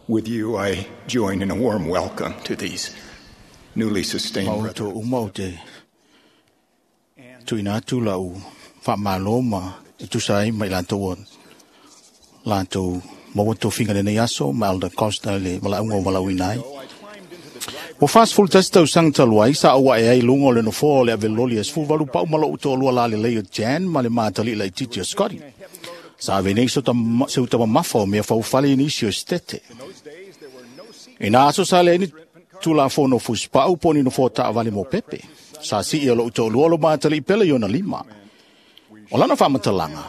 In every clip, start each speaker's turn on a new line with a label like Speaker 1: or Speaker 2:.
Speaker 1: With you, I join in a warm welcome to these newly sustained
Speaker 2: Ma o
Speaker 1: brethren.
Speaker 2: to uma o te tuina atu lau whaamalo ma e tusa ai mai latou o latou maua tofiga lenei aso ma Elder Costa le valaauga o valaauina ai. Ua 41 tausaga talu ai sa ou ae ai i luga o le nofoa o le aveloli e 18 pau ma lou toalua lalelei o Jan ma le matalii laitiiti o Scotty. Sa ave nei se uta mamafa o mea faufale i nisi o Setete. I nā aso sa leai ni tulafono fusipau po o ni nofoa taavale mo pepe. Sa sii o lou toalua lo matalii pele i ona lima. O lana faamatalaga,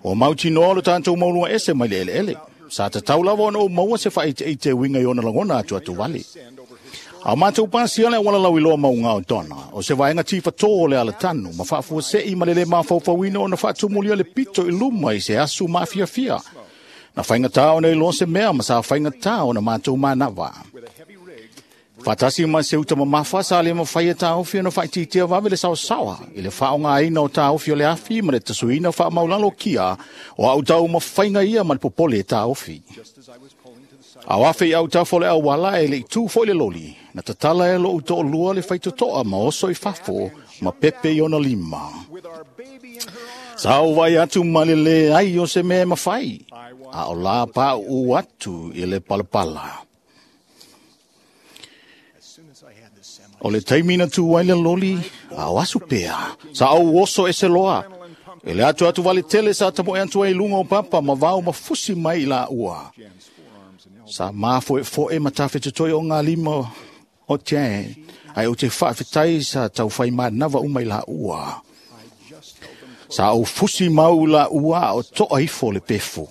Speaker 2: ua mautinoa lo tatou mauluga ese mai le eleele. Sa tatau lava ona ou maua se faaiteite e uiga i ona lagona atu atu vale. A o matou pasia le auala lauiloa mauga o Donna, o se vaega tifatō o le alatanu, ma faafuasei ma le lē mafaufauina ona faatumulia le pito i luma i se asu maafiafia. Na faigata ona iloa se mea ma sa faigata ona matou manava. Faatasi ma se uta mamafa sa le mafai e taofi ona faaitiitia vave le saosaoa i le faaaogaina o taofi o le afi ma le tasuina faamaulalo kia o au taumafaiga ia ma le popole e taofi. A o afe i autafa o le auala e le i tu foi le loli, na tatala e lou toalua le faitotoa ma oso i fafo ma pepe i ona lima. Sa ou vaai atu ma le leai o se mea e mafai, a o la pauu atu i le palapala. O le taimi na tu ai le loli, a o asu pea, sa ou oso ese loa. E le atu atu vale tele sa tamoe atu ai i luga o papa ma vao ma fusi mai i la ua. Sa mafoefoe ma tafetotoi o ngā lima o Jan, ai o te faafetai sa tau whai manava uma i la ua. Sa ou fusi mau i la ua a o toa ifo le pefu.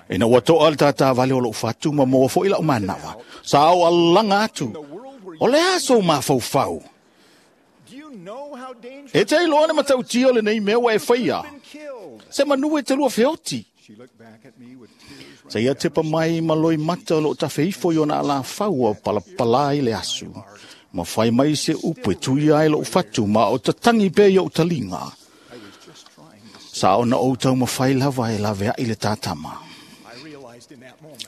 Speaker 2: Ina ua toa le tātāvale o lou fatu ma maua foi lau manava. Sa ou alaga atu, o le a sou mafaufau. E te iloa le matautia o lenei mea ua e faia. Se manu e te lua feoti. Sa ia tepa mai ma loi mata o loo tafe ifo i ona alafau o palapala i le asu. Ma fai mai se upu e tuia ai lou fatu ma o tatangi pea i ou taliga. Sa ona ou taumafai lava e laveai le tātama.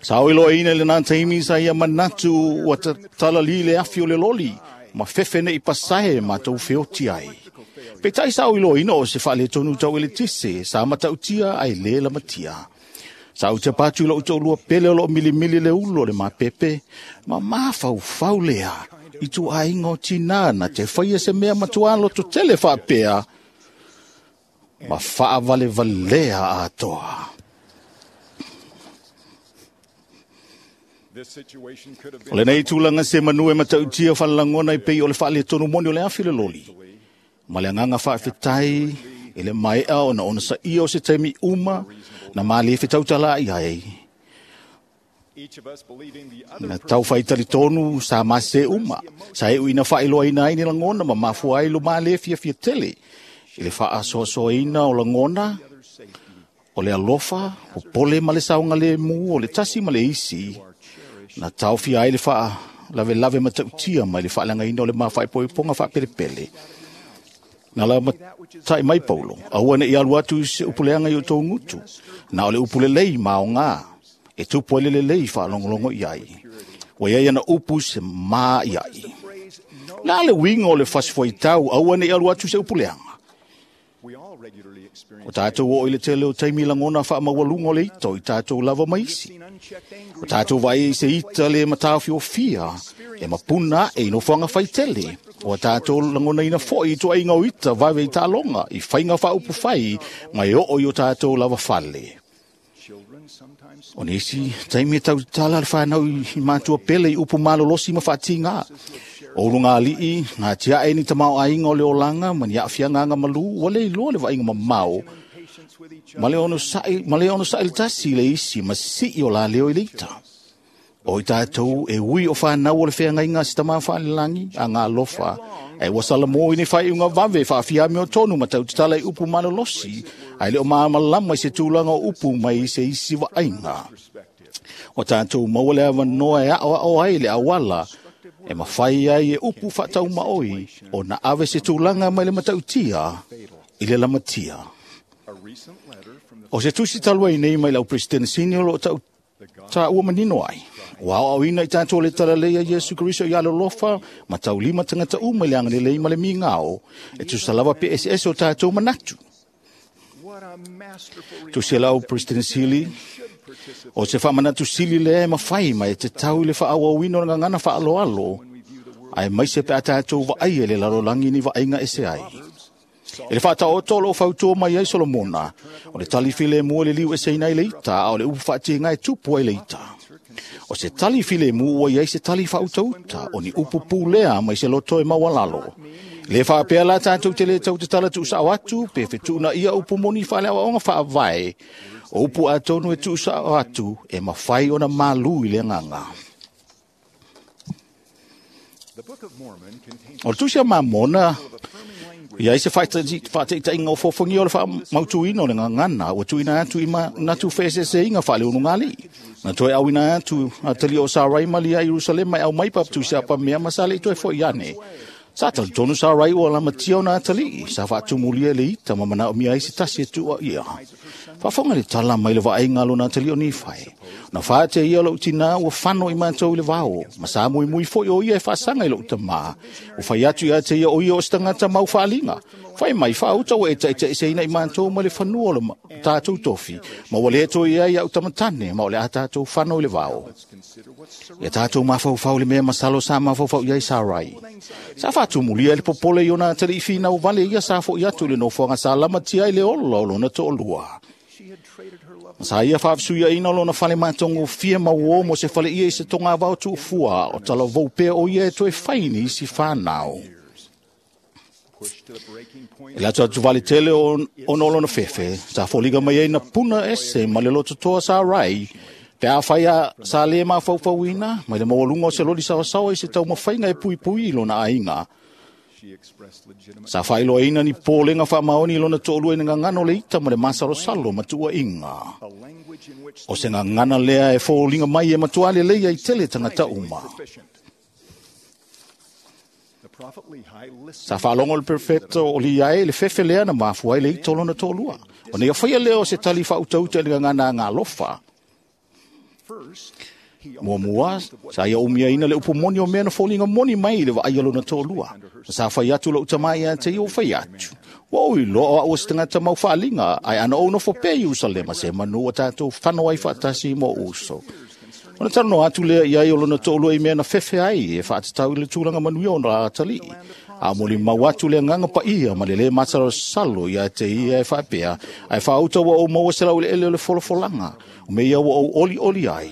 Speaker 2: Sa o iloaina i lena taimi sa ia manatu ua tatalali le afi o le loli ma fefe nei pasae matou feoti ai. Peitai sa o iloaina o se faaletonu tau eletise sa matautia ai lē lamatia. Sa ou tapa atu i lou toalua pele o loo milimili le ulu o le mapepe, ma mafaufau lea i tuaiga o tinā na te faia se mea matua loto tele faapea ma faavalevalea atoa. O lenei tulaga se manu e matautia falalagona i pei o le faaletonu moni o le afi le loli. Ma le agaga faafetai e le maea ona ona saia o se taimi uma na male fetautala i ai. Na tau faitalitonu sa mase uma, sa e uina faailoaina ai ni lagona ma mafua ai lo male fiafia tele. I le faasoasoaina o lagona, o le alofa, o pole ma le saoga le mu, o le tasi ma le isi, na taofia ai le faalavelave matautia mai le faaleagaina o le mafaepoepoga faapelepele. Na la matai mai Paulo, aua ne i alu atu i se upuleaga i o tou gutu, na o le upu lelei ma aoga, e tupu ai le lelei faalogologo i ai. Ua iai ana upu se ma i ai. La le uiga o le fasifuaitau, aua ne i alu atu i se upuleaga. O tātou o i le tele o taimi lagona faamaualuga o le ita o i tātou lava ma isi. O tātou vaai i se ita le mataofiofia e mapuna ae i nofoaga faitele. O a tātou lagonaina foi i tuaiga o ita vave i taaloga, i faiga faaupufai ma e oo i o tātou lava fale. O nisi taimi e tautala le whanau i mātua pele i upu malolosi ma faatigā. O uluga alii, ngā tiae ni tamaoaiga o le olaga ma ni aafiaga agamalu, ua le iloa le vaaiga mamao, ma le onosa'i le tasi i le isi ma sisii o la leo i le ita. O i tātou e ui o whanau o le wheangaiga a se tamā faalelagi a ngā alofa, e ua salamo i ni whaiunga vave faafiame o tonu ma tautatala i upu malolosi, ai le o maamalama i se tulaga o upu mai i se isi vaaiga. O tātou maua le avanoa e aoao ai le auala, e mafai ai e upu faataumaoi o na ave se tulaga mai le matautia i le lamatia. O se tusi talu ai nei mai lau President Senior o tau Ta ua manino ai. Ua aoaoina i tatou le talalelei a Iesu Keriso ia alolofa ma taulima tagata uma i le agalelei ma le migao, e tusa lava pe eseese o tatou manatu.
Speaker 1: What a masterful
Speaker 2: Tusi a lau President Sili, o se faamanatu sili lea e mafai ma e tatau i le faaauauina o le gagana faaaloalo, aemaise pe a tatou vaaia le lalolagi ni vaaiga ese ai. I le faataoto o loo fautua mai ai Solomona, o le tali filemu e liliu eseina ai le ita, a o le upu faatiga e tupu ai le ita. O se tali filemu ua i ai se tali faautauta, o ni upu pulea mai se loto e maualalo. Le faapea la tatou te le tau tatala tuusao atu, pe fetuunaia upu moni faaleaoaoga faavae, o upu atonu e tuusao atu e mafai ona malu i le agaga.
Speaker 1: The Book of Mormon contains
Speaker 2: O le tusi a Mamona,
Speaker 1: affirming language
Speaker 2: ia i se faataitaiga o fofogia o le faamautuina o le gagana, ua tuuina atu i manatu feeseeseaiga faaleulugalii. Na toe auina atu atali o Sarai ma lia i Ierusalema e aumai papatusi a pamea ma sa le i toe foi ane. Sa talitonu Sarai ua lamatia ona atalii, sa faatumulia e le ita ma manaomia ai se tasi e tuua ia. Faafofoga le tala mai le vaaiga a lona atalii o Nifai. Na faatea ia lou tinā ua fano i matou i le vao, ma sa muimui foi o ia e faasaga i lou tamā. Ua fai atu ia te ia o ia o se tagata mau faaliga. Fai mai faauta ua e taitaiseina i matou ma le fanua o le tatou tofi, ma ua le toe i ai au tamatane, ma o le a tatou fano i le vao.
Speaker 1: Consider what Sarai
Speaker 2: Ia tatou mafaufau le mea masalo sa mafaufau i ai Sarai. Sa faatumulia le popole i ona atalii finau vale ia sa foi atu i le nofoaga sa lamatia ai le ola o lona toalua.
Speaker 1: She had traded her love
Speaker 2: Sa ia faafesuiaina o lona fale matagofie ma uo mo se fale ia i se togavao tuufua o talavou pea o ia e toe fai ni isi whanau.
Speaker 1: pushed to the breaking point.
Speaker 2: E lato atu vale tele o ona o lona fefe, sa foliga mai ai na puna ese ma le lototoa sa rai, pe a whai a sa le mafaufauina, mai le maualunga o se loli sawasawa i se taumafaiga e puipui i lona aiga.
Speaker 1: She expressed legitimate
Speaker 2: Sa faailoaina ni polenga faamaoni i lona toalua i le gagana o le ita ma le masalosalo ma tuuaiga.
Speaker 1: a language in which
Speaker 2: O se gagana lea e foliga mai e matua lelei ai tele tagata uma.
Speaker 1: proficient. The prophet Lehi listened
Speaker 2: Sa faalogo le perfecto o li ai le fefe lea na mafua ai le ita o lona toalua. O nei whaia lea o se tali faautauta i le gagana a ngā alofa.
Speaker 1: first. He
Speaker 2: Muamua, sa ia umiaina le upu moni o mea na foliga moni mai i le vaai a lona toalua. Sa fai atu lou tamā ia te ia o fai atu. Ua oi loa o au o se tagata mau faaliga, ae ana ou nofo pea i Ierusalema se manu ua tatou fano ai faatasi mo uso. Ona talanoa atu lea i ai o lona toalua i mea na fefe ai e faatatau i le tulaga manuia o na atalii. A molimau atu le agaga paia ma le lē masalosalo ia te ia e faapea, ae faauta ua ou maua se laueleele o le folafolaga, o mea ia ua ou olioli ai.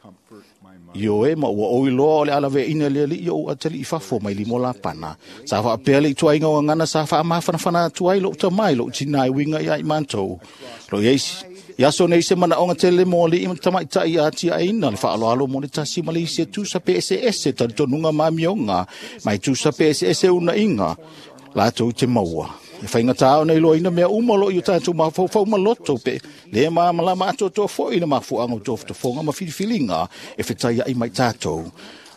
Speaker 1: comfort my mother.
Speaker 2: Ioe ma ua ou iloa o le alaveaina le alii o ou atalii i fafo mai lima o Lapana. Sa faapea le ituaiga o gagana sa faamafanafana atu ai lou tamā i lou tinā e uiga ia i matou. Lo i ai i aso nei se manaoga tele mo alii ma tamaitai ia atiaeina le faaaloalo mo le tasi ma le isi e tusa pe eseese talitonuga ma amioga, ma e tusa pe eseese unaiga latou te maua. E faigata ona iloaina mea uma o loo i o tatou mafaufau ma loto pe le malamalama atoatoa foi le mafuaaga o tofotofoga ma filifiliga e fetaiai mai tatou.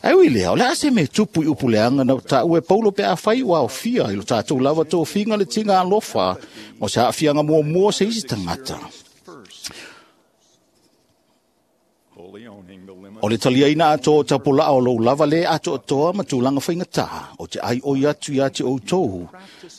Speaker 2: Ae ui lea, o le a se mea tupu i upu leaga na taua e Paulo pe afai ua aofia i lo tatou lava tofiga le tiga alofa mo se aafiaga muamua o se isi tagata.
Speaker 1: First, fully owning the limit
Speaker 2: O le taliaina atoa o tapulaa o lou lava le atoatoa ma tulaga faigata, o te ai oi atu ia te outou.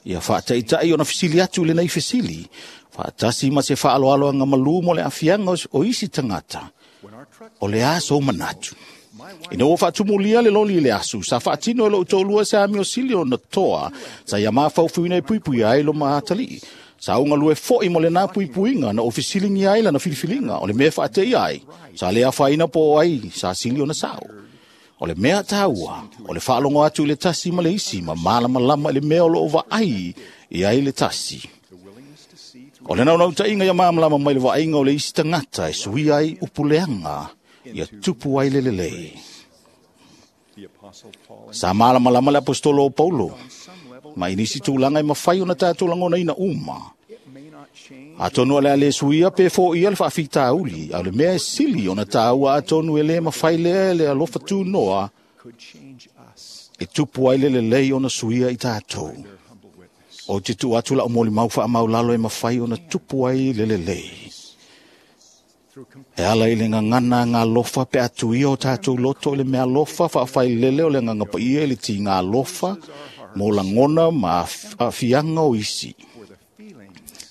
Speaker 2: Ia faataitai ona fesili atu i lenei fesili, faatasi ma se faaaloaloaga malū mo le aafiaga o isi tagata.
Speaker 1: when our truck
Speaker 2: O le a sou manatu.
Speaker 1: my wife
Speaker 2: Ina ua faatumulia le loli i le asu, sa faatino e lou toalua se amio sili ona toa, sa ia mafaufuina e puipuia ai lo maatalii. Sa ugalue foi mo lena puipuiga na o fesiligia ai lana filifiliga, o le mea e faateia ai, sa le afaina po o ai, sa sili ona sao. O le mea taua, o le faalogo atu i le tasi ma le isi, ma malamalama i le mea o loo vaai i ai le tasi.
Speaker 1: the willingness to see through
Speaker 2: O le naunautai ia malamalama mai le vaaiga o le isi tagata e suia ai upu leaga, ia tupu ai le lelei.
Speaker 1: the apostle Paul and
Speaker 2: Sa malamalama le apostolo o Paulo,
Speaker 1: on some level
Speaker 2: ma i nisi tulaga e mafai ona tatou lagonaina uma.
Speaker 1: it may not change
Speaker 2: Atonu o le a le suia pe foia le faafitauli, a o le mea e sili ona taua atonu e le mafai lea le alofa tunoa
Speaker 1: could change us.
Speaker 2: e tupu ai le lelei ona suia i tatou.
Speaker 1: Their humble witness.
Speaker 2: O te tuu atu lau molimau faamaulalo e mafai ona tupu ai le lelei. E ala i le gagana galofa pe atu ia o tātou loto i le mea alofa faafailele o le Agaga Paia i le tiga alofa mo lagona ma aafiaga o isi.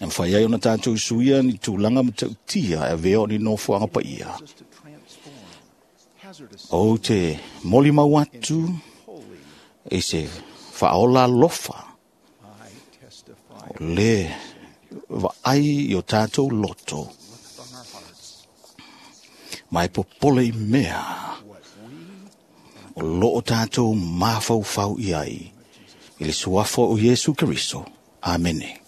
Speaker 2: E mafai ai ona tātou suia ni tulaga matautia e avea o ni nofoaga paia. Ou te molimau atu i se faaola alofa o le vaai i o tātou loto ma e popole i mea o loo tātou mafaufau i ai. I le suafa o Iesu Keriso. Amene.